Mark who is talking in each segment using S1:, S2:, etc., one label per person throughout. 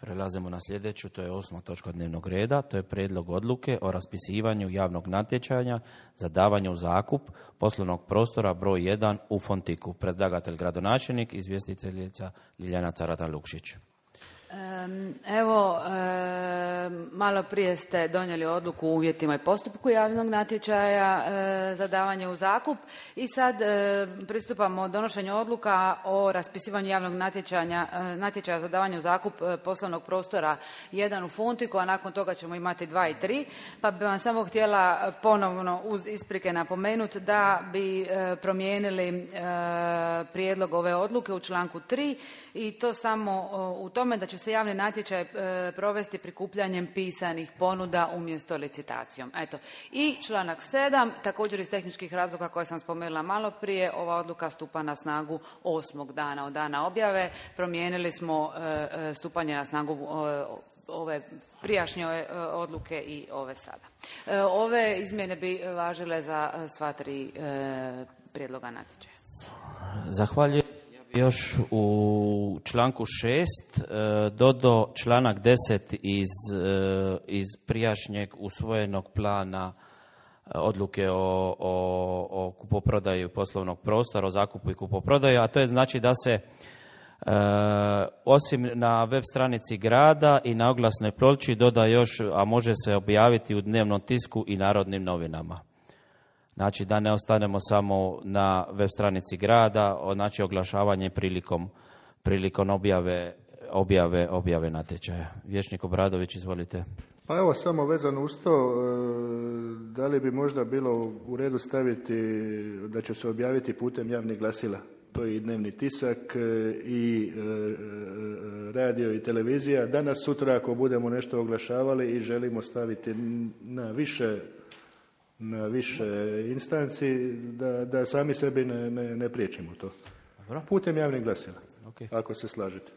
S1: Prelazimo na sljedeću, to je 8. točka dnevnog reda, to je prijedlog odluke o raspisivanju javnog natječaja za davanje u zakup poslovnog prostora broj 1 u Fontiku. Predlagatelj gradonačelnik, izvjestiteljica Ljiljana Carata-Lukšić.
S2: Malo prije ste donijeli odluku o uvjetima i postupku javnog natječaja za davanje u zakup i sad pristupamo donošenju odluka o raspisivanju javnog natječaja za davanje u zakup poslovnog prostora 1 u Fontiku, a nakon toga ćemo imati 2 i 3. Pa bi vam samo htjela ponovno uz isprike napomenuti da bi promijenili prijedlog ove odluke u članku 3 i to samo u tome da će se javni natječaj provesti prikupljanjem pisanih ponuda umjesto licitacijom. Eto. I članak 7, također iz tehničkih razloga koje sam spomenula malo prije, ova odluka stupa na snagu 8. dana od dana objave. Promijenili smo stupanje na snagu ove prijašnje odluke i ove sada. Ove izmjene bi važile za sva 3 prijedloga natječaja.
S1: Zahvaljujem. Još u članku 6 dodao članak 10 iz prijašnjeg usvojenog plana odluke o kupoprodaji poslovnog prostora, o zakupu i kupoprodaji, a to je znači da se osim na web stranici grada i na oglasnoj ploči doda još, a može se objaviti u dnevnom tisku i Narodnim novinama. Znači da ne ostanemo samo na web stranici grada, znači oglašavanje prilikom objave natječaja. Vijećnik Obradović, izvolite.
S3: Pa evo, samo vezano uz to, da li bi možda bilo u redu staviti da će se objaviti putem javnih glasila? To je i dnevni tisak i radio i televizija. Danas, sutra, ako budemo nešto oglašavali i želimo staviti na više instanci, da sami sebi ne priječimo to.
S1: Dobro.
S3: Putem javnih glasila,
S1: Okay.
S3: Ako se slažete.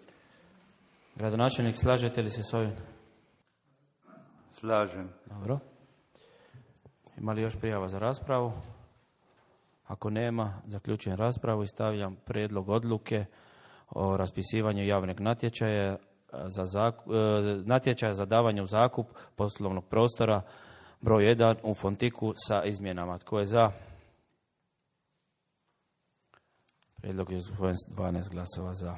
S1: Gradonačelnik, slažete li se s ovim?
S4: Slažem.
S1: Dobro. Ima li još prijava za raspravu? Ako nema, zaključujem raspravu i stavljam prijedlog odluke o raspisivanju javnog natječaja za davanje u zakup poslovnog prostora broj 1 u Fontiku sa izmjenama. Tko je za? Prijedlog je usvojen s 12 glasova za.